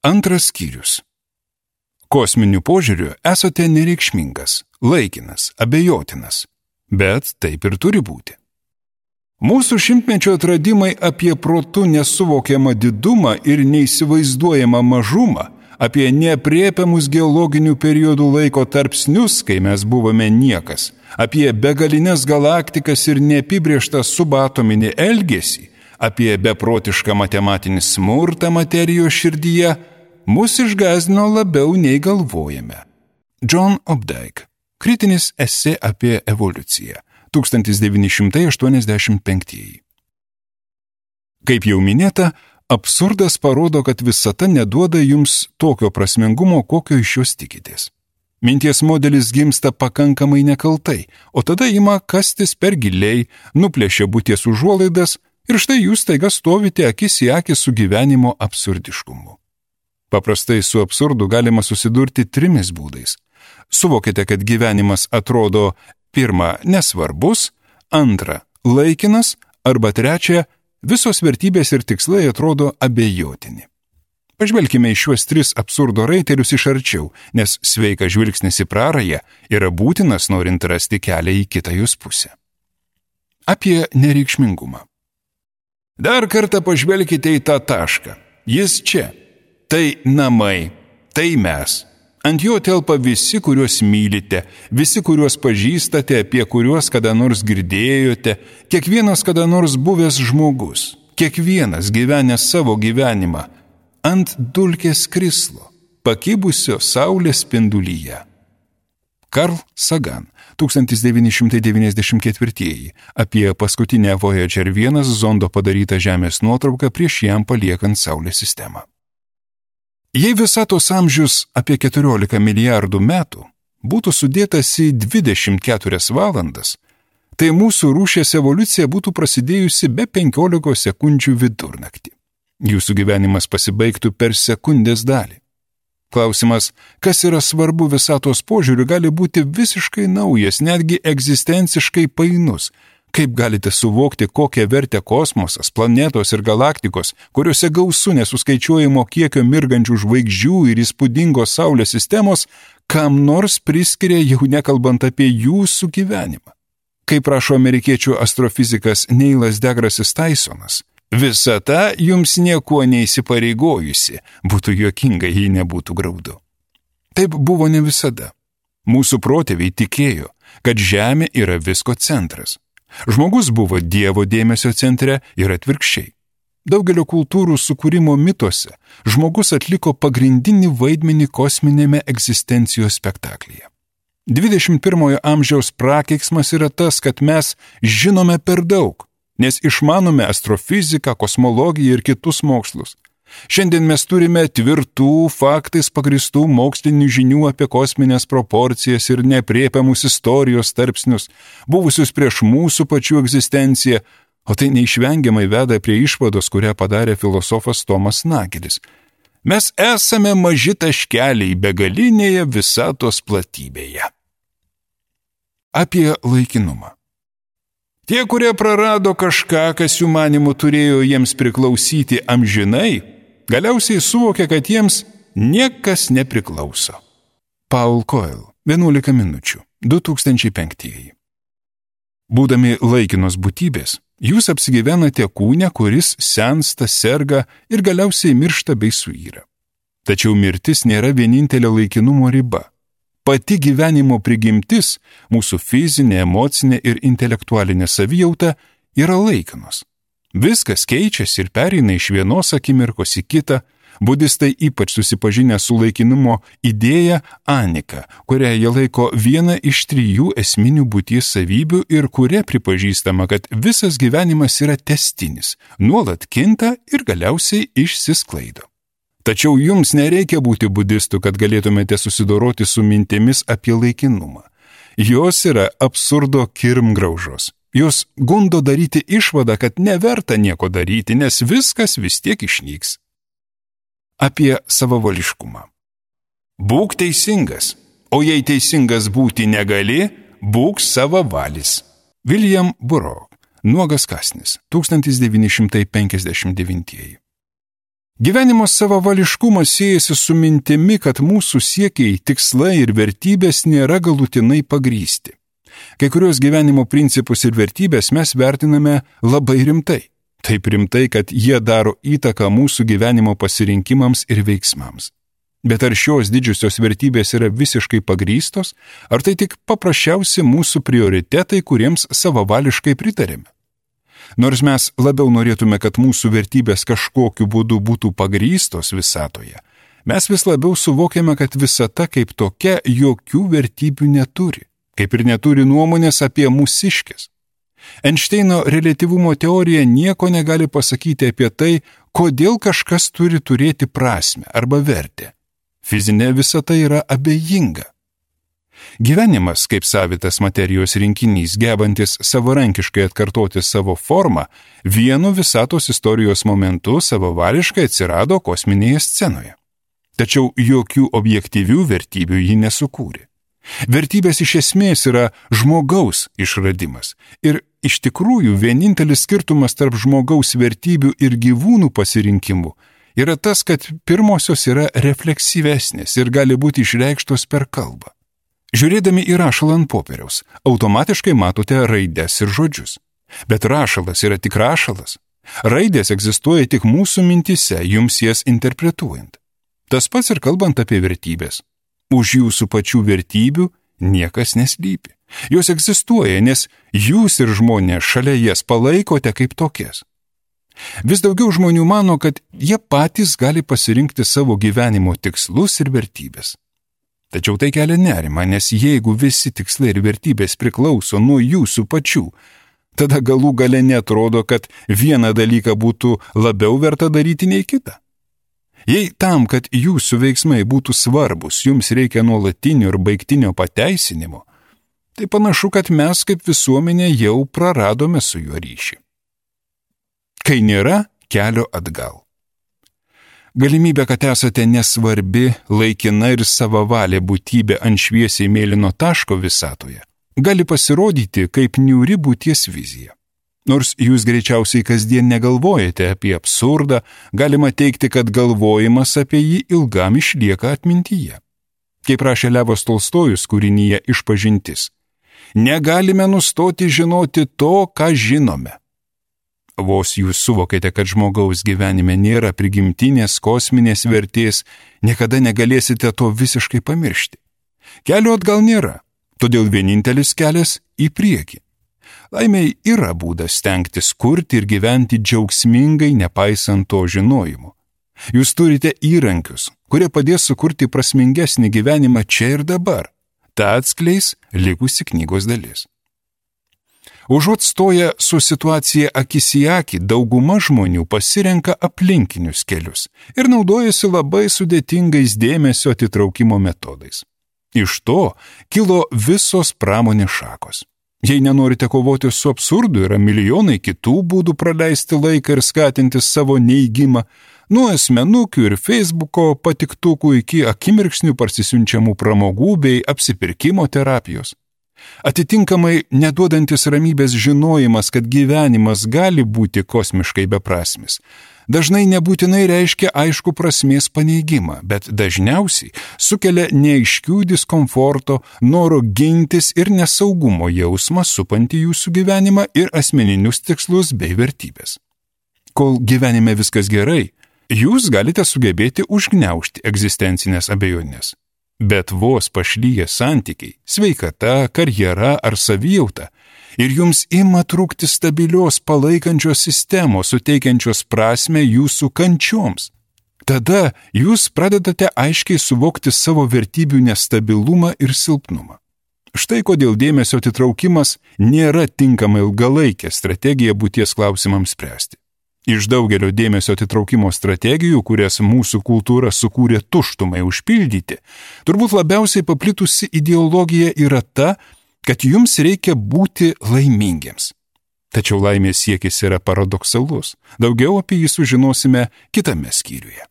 Antras skyrius. Kosminiu požiūriu esate nereikšmingas, laikinas, abejotinas, bet taip ir turi būti. Mūsų šimtmečio atradimai apie protu nesuvokiamą didumą ir neįsivaizduojamą mažumą, apie neaprėpiamus geologinių periodų laiko tarpsnius, kai mes buvome niekas, apie begalines galaktikas ir neapibrėžtą subatominį elgesį, apie beprotišką matematinį smurtą materijos širdyje, mus išgąsdino labiau nei galvojame. John Updike. Kritinis esė apie evoliuciją. 1985. Kaip jau minėta, absurdas parodo, kad visata neduoda jums tokio prasmingumo, kokio iš jos tikitės. Minties modelis gimsta pakankamai nekaltai, o tada ima kastis per giliai, nuplėšia būties užuolaidas ir štai jūs staiga stovite akis į akį su gyvenimo absurdiškumu. Paprastai su absurdu galima susidurti 3 būdais. Suvokite, kad gyvenimas atrodo: 1. nesvarbus, 2. laikinas, arba 3. visos vertybės ir tikslai atrodo abejotini. Pažvelkime į šiuos 3 absurdo raitelius iš arčiau, nes sveikas žvilgsnis į prarają yra būtinas, norint rasti kelią į kitą jos pusę. Apie nereikšmingumą. Dar kartą pažvelkite į tą tašką. Jis čia. Tai namai, tai mes. Ant jo telpa visi, kuriuos mylite, visi, kuriuos pažįstate, apie kuriuos kada nors girdėjote, kiekvienas kada nors buvęs žmogus, kiekvienas gyvenęs savo gyvenimą, ant dulkės krislo, pakibusio saulės spindulyje. Carl Sagan, 1994, apie paskutinę Voyager 1 zondo padarytą Žemės nuotrauką prieš jam paliekant Saulės sistemą. Jei visatos amžius apie 14 milijardų metų būtų sudėtas į 24 valandas, tai mūsų rūšies evoliucija būtų prasidėjusi be 15 sekundžių vidurnaktį. Jūsų gyvenimas pasibaigtų per sekundės dalį. Klausimas, kas yra svarbu visatos požiūriu, gali būti visiškai naujas, netgi egzistenciškai painus. Kaip galite suvokti, kokią vertę kosmosas, planetos ir galaktikos, kuriuose gausu nesuskaičiuojamo kiekio mirgančių žvaigždžių ir įspūdingos Saulės sistemos, kam nors priskiria, jau nekalbant apie jūsų gyvenimą? Kaip rašo amerikiečių astrofizikas Neilas deGrasse Tysonas, visata jums niekuo neįsipareigojusi, būtų juokinga, jei nebūtų graudu. Taip buvo ne visada. Mūsų protėviai tikėjo, kad Žemė yra visko centras. Žmogus buvo Dievo dėmesio centre ir atvirkščiai. Daugelio kultūrų sukūrimo mituose žmogus atliko pagrindinį vaidmenį kosminėme egzistencijos spektaklyje. 21 amžiaus prakeiksmas yra tas, kad mes žinome per daug, nes išmanome astrofiziką, kosmologiją ir kitus mokslus. Šiandien mes turime tvirtų, faktais pagristų mokslinių žinių apie kosminės proporcijas ir neaprėpiamus istorijos tarpsnius, buvusius prieš mūsų pačių egzistenciją, o tai neišvengiamai veda prie išvados, kurią padarė filosofas Tomas Nagelis. Mes esame maži taškeliai begalinėje visatos platybėje. Apie laikinumą. Tie, kurie prarado kažką, kas jų manymu turėjo jiems priklausyti amžinai, galiausiai suvokė, kad jiems niekas nepriklauso. Paul Coelho, 11 minučių, 2005. Būdami laikinos būtybės, jūs apsigyvenate kūne, kuris sensta, serga ir galiausiai miršta bei suyra. Tačiau mirtis nėra vienintelė laikinumo riba. Pati gyvenimo prigimtis, mūsų fizinė, emocinė ir intelektualinė savijauta yra laikinos. Viskas keičiasi ir pereina iš vienos akimirkos į kitą. Budistai ypač susipažinę su laikinumo idėja anika, kurią jie laiko vieną iš 3 esminių būties savybių ir kuria pripažįstama, kad visas gyvenimas yra tęstinis, nuolat kinta ir galiausiai išsisklaido. Tačiau jums nereikia būti budistu, kad galėtumėte susidoroti su mintimis apie laikinumą. Jos yra absurdo kirmgraužos. Jos gundo daryti išvadą, kad neverta nieko daryti, nes viskas vis tiek išnyks. Apie savavališkumą. Būk teisingas, o jei teisingas būti negali, būk savavalis. William Burroughs, Nuogas kąsnis, 1959. Gyvenimo savavališkumas siejasi su mintimi, kad mūsų siekiai, tikslai ir vertybės nėra galutinai pagrysti. Kai kurios gyvenimo principus ir vertybės mes vertiname labai rimtai. Taip rimtai, kad jie daro įtaką mūsų gyvenimo pasirinkimams ir veiksmams. Bet ar šios didžiosios vertybės yra visiškai pagrystos, ar tai tik paprasčiausi mūsų prioritetai, kuriems savavališkai pritarėme? Nors mes labiau norėtume, kad mūsų vertybės kažkokiu būdu būtų pagrystos visatoje, mes vis labiau suvokiame, kad visata kaip tokia jokių vertybių neturi, kaip ir neturi nuomonės apie mūsiškes. Einšteino reliatyvumo teorija nieko negali pasakyti apie tai, kodėl kažkas turi turėti prasmę arba vertę. Fizinė visata yra abejinga. Gyvenimas, kaip savitas materijos rinkinys, gebantis savarankiškai atkartoti savo formą, vienu visatos istorijos momentu savavališkai atsirado kosminėje scenoje. Tačiau jokių objektyvių vertybių ji nesukūrė. Vertybės iš esmės yra žmogaus išradimas. Ir iš tikrųjų vienintelis skirtumas tarp žmogaus vertybių ir gyvūnų pasirinkimų yra tas, kad pirmosios yra refleksyvesnės ir gali būti išreikštos per kalbą. Žiūrėdami į rašalą ant popieriaus, automatiškai matote raides ir žodžius. Bet rašalas yra tik rašalas. Raidės egzistuoja tik mūsų mintise, jums jas interpretuojant. Tas pats ir kalbant apie vertybės. Už jūsų pačių vertybių niekas neslypi. Jos egzistuoja, nes jūs ir žmonės šalia jas palaikote kaip tokias. Vis daugiau žmonių mano, kad jie patys gali pasirinkti savo gyvenimo tikslus ir vertybės. Tačiau tai kelia nerimą, nes jeigu visi tikslai ir vertybės priklauso nuo jūsų pačių, tada galų gale netrodo, kad vieną dalyką būtų labiau verta daryti nei kitą. Jei tam, kad jūsų veiksmai būtų svarbus, jums reikia nuolatinio ir baigtinio pateisinimo, tai panašu, kad mes kaip visuomenė jau praradome su juo ryšį. Kai nėra kelio atgal. Galimybė, kad esate nesvarbi, laikina ir savavalė būtybė ant šviesiai mėlyno taško visatoje, gali pasirodyti kaip niūri būties vizija. Nors jūs greičiausiai kasdien negalvojate apie absurdą, galima teigti, kad galvojimas apie jį ilgam išlieka atmintyje. Kaip rašė Levas Tolstojus kūrinyje Išpažintis, negalime nustoti žinoti to, ką žinome. Vos jūs suvokėte, kad žmogaus gyvenime nėra prigimtinės kosminės vertės, niekada negalėsite to visiškai pamiršti. Kelio atgal nėra, todėl vienintelis kelias į priekį. Laimei yra būdas stengtis kurti ir gyventi džiaugsmingai, nepaisant to žinojimo. Jūs turite įrankius, kurie padės sukurti prasmingesnį gyvenimą čia ir dabar. Ta atskleis likusi knygos dalis. Užuot stoję su situacija akis į akį, dauguma žmonių pasirenka aplinkinius kelius ir naudojasi labai sudėtingais dėmesio atitraukimo metodais. Iš to kilo visos pramonės šakos. Jei nenorite kovoti su absurdu, yra milijonai kitų būdų praleisti laiką ir skatinti savo neigimą, nuo asmenukių ir Facebooko patiktukų iki akimirksnių parsisiunčiamų pramogų bei apsipirkimo terapijos. Atitinkamai, neduodantis ramybės žinojimas, kad gyvenimas gali būti kosmiškai beprasmis, dažnai nebūtinai reiškia aišku prasmės paneigimą, bet dažniausiai sukelia neaiškių diskomforto, noro gintis ir nesaugumo jausmą supantį jūsų gyvenimą ir asmeninius tikslus bei vertybės. Kol gyvenime viskas gerai, jūs galite sugebėti užgniaužti egzistencinės abejonės. Bet vos pašlyja santykiai, sveikata, karjera ar savijauta ir jums ima trūkti stabilios palaikančios sistemos, suteikiančios prasmę jūsų kančioms. Tada jūs pradedate aiškiai suvokti savo vertybių nestabilumą ir silpnumą. Štai kodėl dėmesio atitraukimas nėra tinkama ilgalaikė strategija būties klausimams spręsti. Iš daugelio dėmesio atitraukimo strategijų, kurias mūsų kultūra sukūrė tuštumai užpildyti, turbūt labiausiai paplitusi ideologija yra ta, kad jums reikia būti laimingiems. Tačiau laimės siekis yra paradoksalus. Daugiau apie jį sužinosime kitame skyriuje.